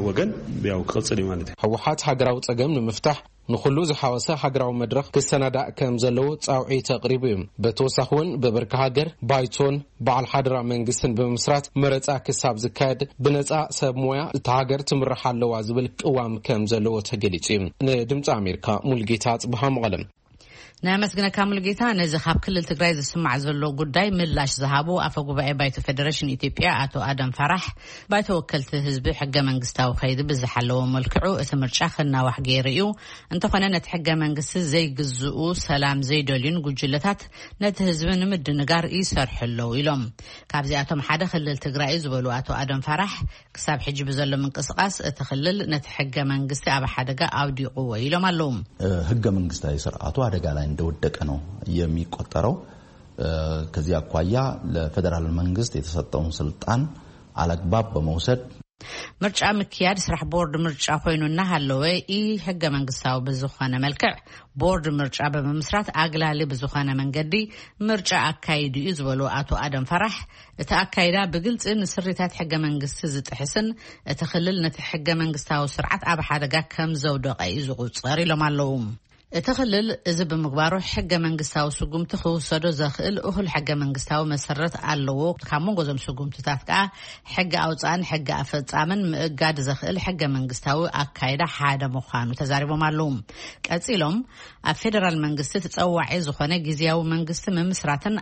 ወገን ያው ክቕፅል እዩ ማለት እዩ። ህወሓት ሃገራዊ ፀገም ንምፍታሕ ንኹሉ ዝሓወሰ ሃገራዊ መድረኽ ክሰናዳእ ከም ዘለዎ ጻውዒት ኣቕሪቡ እዩ። ብተወሳኺ እውን ብብርኪ ሃገር ባይቶን በዓል ሓደራ መንግስትን ብምምስራት መረጻ ክሳብ ዝካየድ ብነጻ ሰብ ሞያ እታ ሃገር ትምራሕ ኣለዋ ዝብል ቅዋም ከም ዘለዎ ተገሊጹ እዩ። ንድምፂ ኣሜሪካ ሙልጌታ ጽብሃ መቐለም። ነመስግነካ ሙልጌታ። ነዚ ካብ ክልል ትግራይ ዝስማዕ ዘሎ ጉዳይ ምላሽ ዝሃቡ ኣፈ ጉባኤ ባይቶ ፌደሬሽን ኢትዮጵያ ኣቶ ኣደም ፋራሕ፣ ባይቶ ወከልቲ ህዝቢ ሕገ መንግስታዊ ከይዲ ብዝሓለዎ መልክዑ እቲ ምርጫ ክናዋሕ ገይሩ እዩ። እንተኾነ ነቲ ሕገ መንግስቲ ዘይግዝኡ፣ ሰላም ዘይደልዩን ጉጅለታት ነቲ ህዝቢ ንምድንጋር ይሰርሑ ኣለዉ ኢሎም። ካብዚኣቶም ሓደ ክልል ትግራይ እዩ ዝበሉ ኣቶ ኣደም ፋራሕ፣ ክሳብ ሕጂ ብዘሎ ምንቅስቃስ እቲ ክልል ነቲ ሕገ መንግስቲ ኣብ ሓደጋ ኣውዲቕዎ ኢሎም ኣለዉ። ሕገ መንግስታዊ ስርዓቱ አደጋ ላይ እንደወደቀ ነው የሚቆጠረው። ከዚህ አኳያ ለፌዴራል መንግስት የተሰጠውን ስልጣን አላግባብ በመውሰድ ምርጫ ምክያድ ስራሕ ቦርድ ምርጫ ኮይኑ እናሃለወ፣ ኢ ሕገ መንግስታዊ ብዝኾነ መልክዕ ቦርድ ምርጫ ብምምስራት ኣግላሊ ብዝኾነ መንገዲ ምርጫ ኣካይዱ እዩ ዝበሉ ኣቶ ኣደም ፈራሕ፣ እቲ ኣካይዳ ብግልፂ ንስሪታት ሕገ መንግስቲ ዝጥሕስን እቲ ክልል ነቲ ሕገ መንግስታዊ ስርዓት ኣብ ሓደጋ ከም ዘውደቐ እዩ ዝቑፀር ኢሎም ኣለዉ። እቲ ክልል እዚ ብምግባሩ ሕገ መንግስታዊ ስጉምቲ ክውሰዶ ዘኽእል እኹል ሕገ መንግስታዊ መሰረት ኣለዎ። ካብ መንጎ እዞም ስጉምትታት ከዓ ሕገ ኣውፃእን ሕገ ኣፈፃምን ምእጋድ ዘኽእል ሕገ መንግስታዊ ኣካይዳ ሓደ ምዃኑ ተዛሪቦም ኣለዉ። ቀፂሎም ኣብ ፌደራል መንግስቲ ተፀዋዒ ዝኾነ ግዝያዊ መንግስቲ ምምስራትን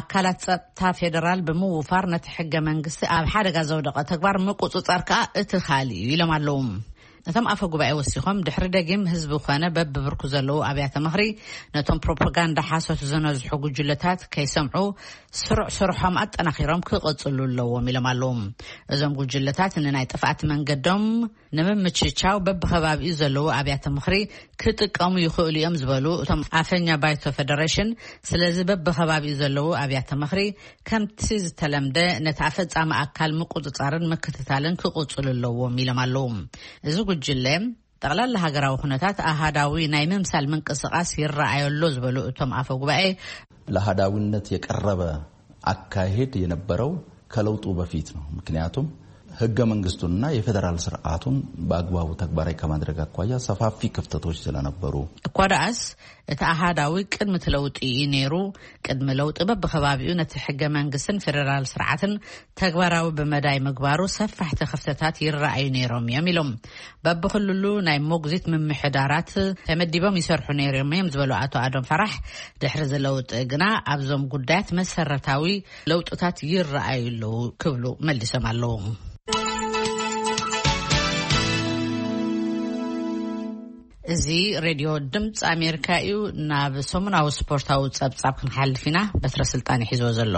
ኣካላት ጸጥታ ፌደራል ብምውፋር ነቲ ሕገ መንግስቲ ኣብ ሓደጋ ዘውደቐ ተግባር ምቁጽጻር ከኣ እቲ ካልእ እዩ ኢሎም ኣለዉ። እቶም ኣፈ ጉባኤ ወሲኾም፣ ድሕሪ ደጊም ህዝቢ ኮነ በብብርኩ ዘለዉ ኣብያተ ምኽሪ ነቶም ፕሮፓጋንዳ ሓሶት ዝነዝሑ ጉጅለታት ከይሰምዑ ስሩዕ ስርሖም ኣጠናኺሮም ክቕጽሉ ኣለዎም ኢሎም ኣለዉ። እዞም ጉጅለታት ንናይ ጥፍኣት መንገዶም ንምምችቻው በብኸባቢኡ ዘለዉ ኣብያተ ምኽሪ ክጥቀሙ ይኽእሉ እዮም ዝበሉ እቶም ኣፈኛ ባይቶ ፌደሬሽን፣ ስለዚ በብኸባቢኡ ዘለዉ ኣብያተ ምኽሪ ከምቲ ዝተለምደ ነቲ ኣፈጻሚ ኣካል ምቁጽጻርን ምክትታልን ክቕጽሉ ኣለዎም ኢሎም ኣለዉ። እዚ ጉጅለ ጠቕላላ ሃገራዊ ኩነታት ኣሃዳዊ ናይ ምምሳል ምንቅስቓስ ይረኣዮ ኣሎ ዝበሉ እቶም ኣፈ ጉባኤ፣ ለአሃዳዊነት የቀረበ አካሄድ የነበረው ከለውጡ በፊት ነው። ምክንያቱም ህገ መንግስቱንና የፌዴራል ስርዓቱን በአግባቡ ተግባራዊ ከማድረግ አኳያ ሰፋፊ ክፍተቶች ስለነበሩ፣ እኳ ደኣስ እቲ ኣሃዳዊ ቅድሚ እቲ ለውጢ እዩ ነይሩ። ቅድሚ ለውጢ በብኸባቢኡ ነቲ ሕገ መንግስትን ፌደራል ስርዓትን ተግባራዊ ብመዳይ ምግባሩ ሰፋሕቲ ክፍተታት ይረኣዩ ነይሮም እዮም ኢሎም። በብክልሉ ናይ ሞግዚት ምምሕዳራት ተመዲቦም ይሰርሑ ነይሮም እዮም ዝበሉ ኣቶ ኣዶም ፈራሕ፣ ድሕሪ እዚ ለውጢ ግና ኣብዞም ጉዳያት መሰረታዊ ለውጥታት ይረኣዩ ኣለዉ ክብሉ መሊሶም ኣለዉ። እዚ ሬድዮ ድምፂ ኣሜሪካ እዩ። ናብ ሰሙናዊ ስፖርታዊ ጸብጻብ ክንሓልፍ ኢና። በትረ ስልጣን ይሒዝዎ ዘሎ።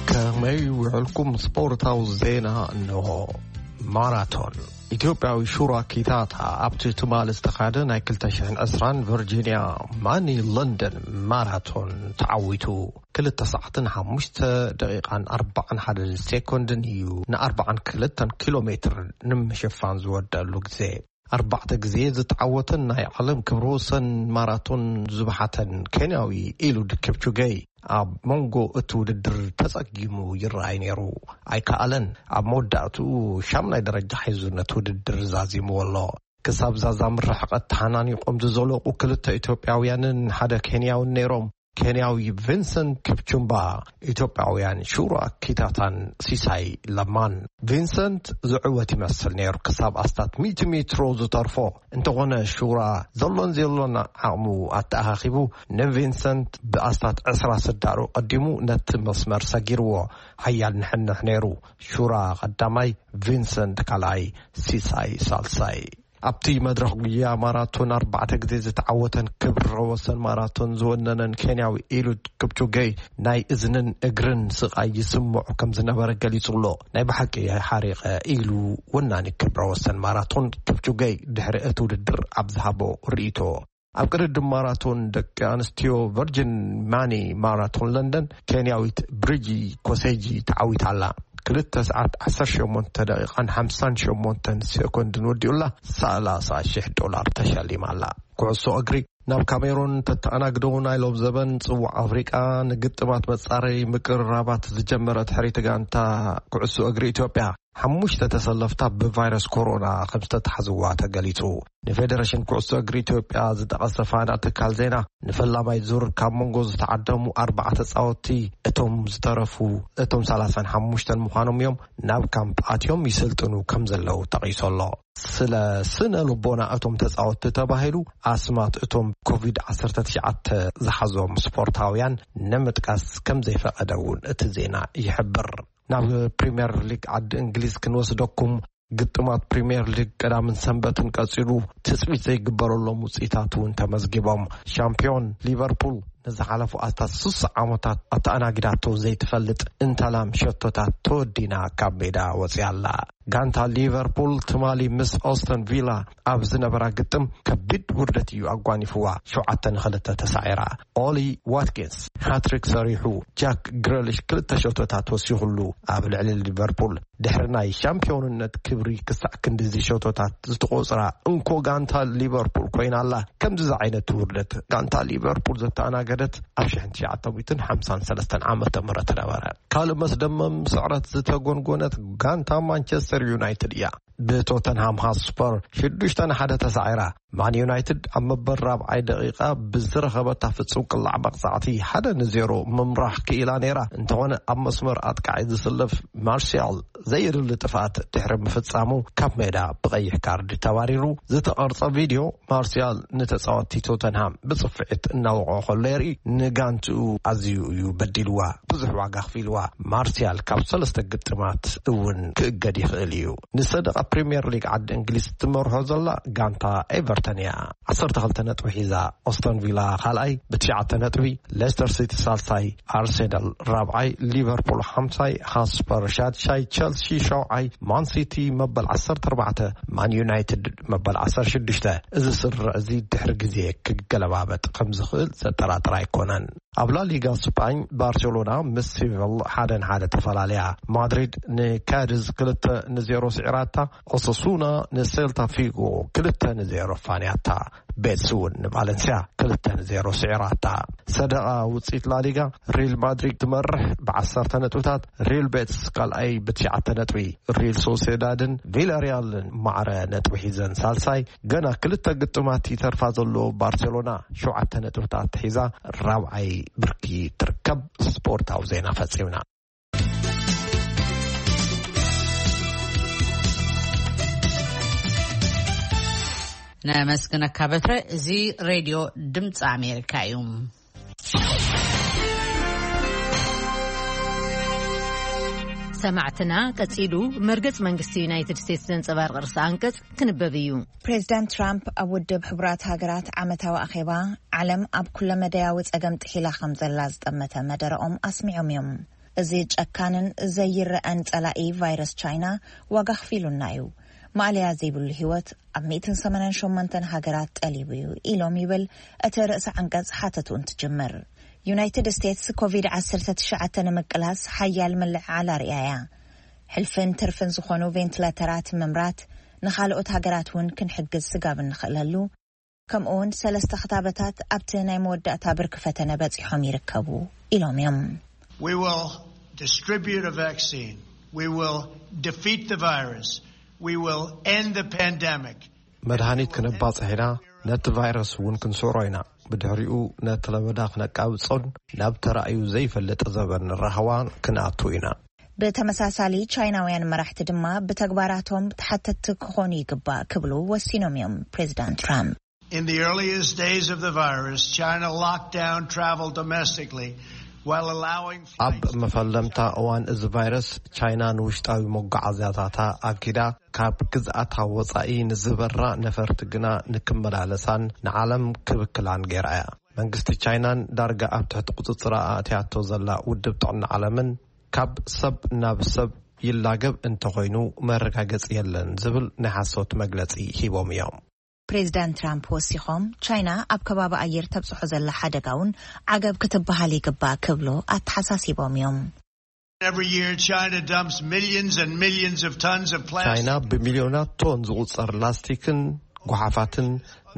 ከመይ ውዕልኩም? ስፖርታዊ ዜና እንሆ። ማራቶን። ኢትዮጵያዊ ሹራ ኪታታ ኣብቲ ትማሊ ዝተኻደ ናይ ክልተ ሽሕን ዕስራን ቨርጂንያ ማኒ ለንደን ማራቶን ተዓዊቱ። ክልተ ሰዓትን ሓሙሽተ ደቂቓን ኣርባዓን ሓደ ሴኮንድን እዩ ንኣርባዓን ክልተን ኪሎ ሜትር ንምሽፋን ዝወደሉ ግዜ። ኣርባዕተ ግዜ ዝተዓወተን ናይ ዓለም ክብረ ወሰን ማራቶን ዝበሓተን ኬንያዊ ኢሉድ ኪፕቹጌ ኣብ መንጎ እቲ ውድድር ተጸጊሙ ይረኣይ ነይሩ። ኣይከኣለን። ኣብ መወዳእትኡ ሻምናይ ደረጃ ሒዙ ነቲ ውድድር ዛዚምዎ ኣሎ። ክሳብ ዛዛም ርሕቀት ተሓናኒቖም ዝዘለቑ ክልተ ኢትዮጵያውያንን ሓደ ኬንያውን ነይሮም። ኬንያዊ ቪንሰንት ኪፕቹምባ፣ ኢትዮጵያውያን ሹራ ኪታታን ሲሳይ ለማን። ቪንሰንት ዝዕወት ይመስል ነይሩ ክሳብ ኣስታት ሚእቲ ሜትሮ ዝተርፎ። እንተኾነ ሹራ ዘሎን ዘየሎን ዓቕሙ ኣተኣኻኺቡ ንቪንሰንት ብኣስታት ዕስራ ስዳሩ ቀዲሙ ነቲ መስመር ሰጊርዎ። ሓያል ንሕንሕ ነይሩ። ሹራ ቀዳማይ፣ ቪንሰንት ካልኣይ፣ ሲሳይ ሳልሳይ። ኣብቲ መድረኽ ጉያ ማራቶን ኣርባዕተ ግዜ ዝተዓወተን ክብረ ወሰን ማራቶን ዝወነነን ኬንያዊ ኢሉድ ክፕቹጌ ናይ እዝንን እግርን ስቓይ ይስምዖ ከም ዝነበረ ገሊጹ ኣሎ። ናይ ብሓቂ ሓሪቐ ኢሉ ወናኒ ክብረ ወሰን ማራቶን ክፕቹጌ ድሕሪ እቲ ውድድር ኣብ ዝሃቦ ርእይቶ። ኣብ ቅድድም ማራቶን ደቂ ኣንስትዮ ቨርጅን ማኒ ማራቶን ለንደን ኬንያዊት ብሪጂ ኮሴጂ ተዓዊታ ኣላ። ክልተ ሰዓት ዓሰርተ ሸሞንተ ደቂቓን ሓምሳን ሸሞንተን ሴኮንድን ወዲኡላ ሰላሳ ሺሕ ዶላር ተሸሊማ ኣላ። ኩዕሶ እግሪ። ናብ ካሜሮን ተተኣናግደው ናይ ሎም ዘበን ጽዋዕ ኣፍሪቃ ንግጥማት መጻረይ ምቅርራባት ዝጀመረት ሕሪት ጋንታ ኩዕሶ እግሪ ኢትዮጵያ ሓሙሽተ ተሰለፍታ ብቫይረስ ኮሮና ከም ዝተታሕዝዋ ተገሊጹ። ንፌደሬሽን ኩዕሶ እግሪ ኢትዮጵያ ዝጠቐሰ ፋና ትካል ዜና፣ ንፈላማይ ዙር ካብ መንጎ ዝተዓደሙ ኣርባዓ ተጻወትቲ እቶም ዝተረፉ እቶም ሰላሳን ሓሙሽተን ምዃኖም እዮም ናብ ካምፕ ኣትዮም ይስልጥኑ ከም ዘለዉ ተቒሱ ኣሎ። ስለ ስነ ልቦና እቶም ተጻወትቲ ተባሂሉ ኣስማት እቶም ኮቪድ ዓሰርተ ትሽዓተ ዝሓዞም ስፖርታውያን ንምጥቃስ ከም ዘይፈቐደ እውን እቲ ዜና ይሕብር። ናብ ፕሪምየር ሊግ ዓዲ እንግሊዝ ክንወስደኩም። ግጥማት ፕሪምየር ሊግ ቀዳምን ሰንበትን ቀጺሉ ትጽቢት ዘይግበረሎም ውጽኢታት እውን ተመዝጊቦም። ሻምፒዮን ሊቨርፑል ንዝሓለፉ ኣስታት ስሳ ዓመታት ኣተኣናጊዳቶ ዘይትፈልጥ እንታላም ሸቶታት ተወዲና ካብ ሜዳ ወፂኣ ኣላ። ጋንታ ሊቨርፑል ትማሊ ምስ ኦስተን ቪላ ኣብ ዝነበራ ግጥም ከቢድ ውርደት እዩ ኣጓኒፍዋ። ሸውዓተ ንኽልተ ተሳዒራ። ኦሊ ዋትኪንስ ሃትሪክ ሰሪሑ፣ ጃክ ግረሊሽ ክልተ ሸቶታት ወሲኹሉ፣ ኣብ ልዕሊ ሊቨርፑል ድሕሪ ናይ ሻምፒዮንነት ክብሪ ክሳዕ ክንድዚ ሸቶታት ዝተቖጽራ እንኮ ጋንታ ሊቨርፑል ኮይና ኣላ። ከምዚ ዝዓይነቱ ውርደት ጋንታ ሊቨርፑል ዘተኣናገደት ኣብ ሽሕን ትሽዓተ ሚእትን ሓምሳን ሰለስተን ዓመተ ምህረት ነበረ። ካልእ መስደመም ስዕረት ዝተጎንጎነት ጋንታ ማንቸስተር ዩናይትድ እያ። ብቶተንሃም ሃትስፐር ሽዱሽተ ንሓደ ተሳዒራ። ማን ዩናይትድ ኣብ መበል ራብዓይ ደቂቃ ብዝረኸበታ ፍጹም ቅላዕ መቕጻዕቲ ሓደ ንዜሮ ምምራሕ ክኢላ ነይራ። እንተኾነ ኣብ መስመር ኣጥቃዒ ዝስለፍ ማርሲያል ዘየድሊ ጥፍኣት ድሕሪ ምፍጻሙ ካብ ሜዳ ብቐይሕ ካርድ ተባሪሩ። ዝተቐርጸ ቪድዮ ማርሲያል ንተጻወትቲ ቶተንሃም ብጽፍዒት እናወቕዖ ከሎ የርኢ። ንጋንትኡ ኣዝዩ እዩ በዲልዋ፣ ብዙሕ ዋጋ ኣኽፊልዋ። ማርሲያል ካብ ሰለስተ ግጥማት እውን ክእገድ ይኽእል እዩ። ንሰደቓ ፕሪምየር ሊግ ዓዲ እንግሊዝ ትመርሖ ዘላ ጋንታ ኤቨርተን እያ። ዓሰርተ ክልተ ነጥቢ ሒዛ፣ ኦስተን ቪላ ካልኣይ ብትሽዓተ ነጥቢ፣ ሌስተር ሲቲ ሳልሳይ፣ ኣርሴናል ራብዓይ፣ ሊቨርፑል ሓምሳይ፣ ሃትስፐር ሻድሻይ፣ ቸልሲ ሸውዓይ፣ ማን ሲቲ መበል ዓሰርተ ኣርባዕተ፣ ማን ዩናይትድ መበል ዓሰርተ ሽዱሽተ። እዚ ስርዕ እዚ ድሕሪ ግዜ ክገለባበጥ ከም ዝኽእል ዘጠራጥር ኣይኮነን። ኣብ ላሊጋ ስጳኝ ባርሴሎና ምስ ሲቪል ሓደ ንሓደ ተፈላለያ። ማድሪድ ንካዲዝ ክልተ ንዜሮ ስዒራታ። ኦሳሱና ንሴልታ ፊጎ ክልተ ንዜሮ ፋንያታ። ቤትስ እውን ንቫለንሲያ ክልተ ንዜሮ ስዒራታ። ሰደቓ ውፅኢት ላሊጋ ሪል ማድሪድ ትመርሕ ብዓሰርተ ነጥብታት፣ ሪል ቤትስ ካልኣይ ብትሽዓተ ነጥቢ፣ ሪል ሶሴዳድን ቪላሪያልን ማዕረ ነጥቢ ሒዘን ሳልሳይ። ገና ክልተ ግጥማት ይተርፋ ዘሎ ባርሴሎና ሸውዓተ ነጥብታት ሒዛ ራብዓይ ብርኪ ትርከብ። ስፖርታዊ ዜና ፈጺምና። ነመስግነካ በትረ። እዚ ሬድዮ ድምፂ ኣሜሪካ እዩ። ሰማዕትና፣ ቀጺሉ መርገጽ መንግስቲ ዩናይትድ ስቴትስ ዘንጸባርቕ ርእሰ ኣንቀጽ ክንበብ እዩ። ፕሬዚዳንት ትራምፕ ኣብ ውድብ ሕቡራት ሃገራት ዓመታዊ ኣኼባ፣ ዓለም ኣብ ኩለመዳያዊ ጸገም ጥሒላ ከም ዘላ ዝጠመተ መደረኦም ኣስሚዖም እዮም። እዚ ጨካንን ዘይረኣን ጸላኢ ቫይረስ ቻይና ዋጋ ኣኽፊሉና እዩ። ማእለያ ዘይብሉ ህይወት ኣብ ሚእትን ሰማንያን ሸሞንተን ሃገራት ጠሊቡ እዩ ኢሎም ይብል እቲ ርእሰ ዓንቀጽ ሓተቱ እንትጅምር። ዩናይትድ ስቴትስ ኮቪድ ዓሰርተ ትሽዓተ ንምቅላስ ሓያል ምልዕዓል ኣርእያ እያ። ሕልፍን ትርፍን ዝኾኑ ቬንትሌተራት ምምራት፣ ንኻልኦት ሃገራት እውን ክንሕግዝ ስጋብ እንኽእለሉ፣ ከምኡ እውን ሰለስተ ክታበታት ኣብቲ ናይ መወዳእታ ብርኪ ፈተነ በጺሖም ይርከቡ ኢሎም እዮም። We will distribute a vaccine. We will defeat the virus. We will end the pandemic. መድሃኒት ክነባጽሕ ኢና፣ ነቲ ቫይረስ እውን ክንስዕሮ ኢና። ብድሕሪኡ ነቲ ለበዳ ክነቃብጾን ናብ ተራእዩ ዘይፈልጥ ዘበን ራህዋ ክንኣቱ ኢና። ብተመሳሳሊ፣ ቻይናውያን መራሕቲ ድማ ብተግባራቶም ተሓተትቲ ክኾኑ ይግባእ ክብሉ ወሲኖም እዮም ፕሬዚዳንት ትራምፕ። In the earliest days of the virus, China locked down travel domestically while allowing ኣብ flights መፈለምታ እዋን እዚ ቫይረስ፣ ቻይና ንውሽጣዊ መጓዓዝያታታ ኣጊዳ፣ ካብ ግዝኣታ ወጻኢ ንዝበራ ነፈርቲ ግና ንክመላለሳን ንዓለም ክብክላን ገይራ እያ። መንግስቲ ቻይናን ዳርጋ ኣብ ትሕቲ ቁጽጽራ ኣእትያቶ ዘላ ውድብ ጥዕና ዓለምን፣ ካብ ሰብ ናብ ሰብ ይላገብ እንተኾይኑ መረጋገጺ የለን ዝብል ናይ ሓሶት መግለጺ ሂቦም እዮም። ፕሬዚዳንት ትራምፕ ወሲኾም፣ ቻይና ኣብ ከባቢ ኣየር ተብጽሖ ዘላ ሓደጋ እውን ዓገብ ክትበሃል ይግባእ ክብሉ ኣተሓሳሲቦም እዮም። Every year, China dumps millions and millions of tons of plastic. ቻይና ብሚልዮናት ቶን ዝቑጸር ላስቲክን ጓሓፋትን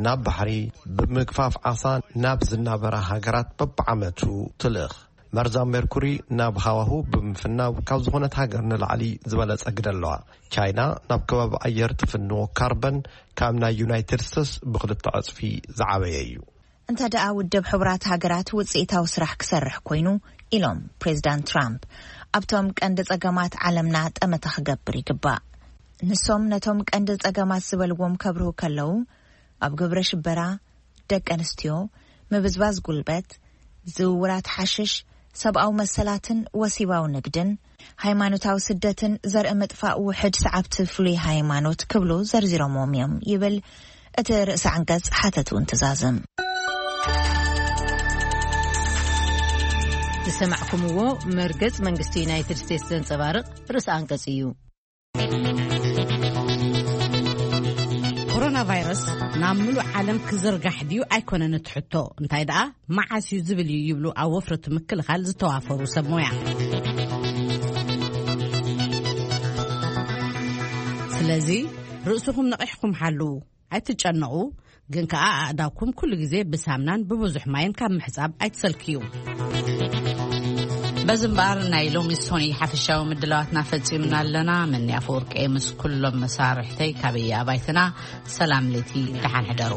ናብ ባሕሪ፣ ብምግፋፍ ዓሳ ናብ ዝናበራ ሃገራት በብዓመቱ ትልእኽ። መርዛም ሜርኩሪ ናብ ሃዋሁ ብምፍናው ካብ ዝኾነት ሃገር ንላዕሊ ዝበለጸ ግደ ኣለዋ። ቻይና ናብ ከባቢ ኣየር ትፍንዎ ካርበን ካብ ናይ ዩናይትድ ስቴትስ ብኽልተ ዕጽፊ ዝዓበየ እዩ። እንተ ደኣ ውድብ ሕቡራት ሃገራት ውጽኢታዊ ስራሕ ክሰርሕ ኮይኑ፣ ኢሎም ፕሬዚዳንት ትራምፕ፣ ኣብቶም ቀንዲ ጸገማት ዓለምና ጠመተ ክገብር ይግባእ። ንሶም ነቶም ቀንዲ ጸገማት ዝበልዎም ከብርሁ ከለዉ፣ ኣብ ግብረ ሽበራ፣ ደቂ ኣንስትዮ፣ ምብዝባዝ ጉልበት፣ ዝውውራት ሓሽሽ፣ ሰብኣዊ መሰላትን ወሲባዊ ንግድን፣ ሃይማኖታዊ ስደትን ዘርኢ ምጥፋእ ውሕድ ሰዓብቲ ፍሉይ ሃይማኖት ክብሉ ዘርዚሮምዎም እዮም ይብል እቲ ርእሰ ዓንቀጽ ሓተትኡን ትእዛዝን። ዝሰማዕኩምዎ መርገጽ መንግስቲ ዩናይትድ ስቴትስ ዘንጸባርቕ ርእሰ ኣንቀጽ እዩ። ኮሮና ቫይረስ ናብ ምሉእ ዓለም ክዝርጋሕ ድዩ ኣይኮነን እቲ ሕቶ፣ እንታይ ደኣ መዓስ እዩ ዝብል እዩ ይብሉ ኣብ ወፍሪ እቲ ምክልኻል ዝተዋፈሩ ሰብ ሞያ። ስለዚ ርእስኹም ነቒሕኩም ሓልዉ፣ ኣይትጨነቑ፣ ግን ከኣ ኣእዳውኩም ኩሉ ግዜ ብሳምናን ብብዙሕ ማይን ካብ ምሕጻብ ኣይትሰልክዩ። በዚ እምበኣር ናይ ሎሚ ሶኒ ሓፈሻዊ ምድላዋትና ፈጺምና ኣለና። መኒ ኣፈወርቂ ምስ ኩሎም መሳርሕተይ ካበየ ኣባይትና ሰላም ለይቲ ደሓን ሕደሩ።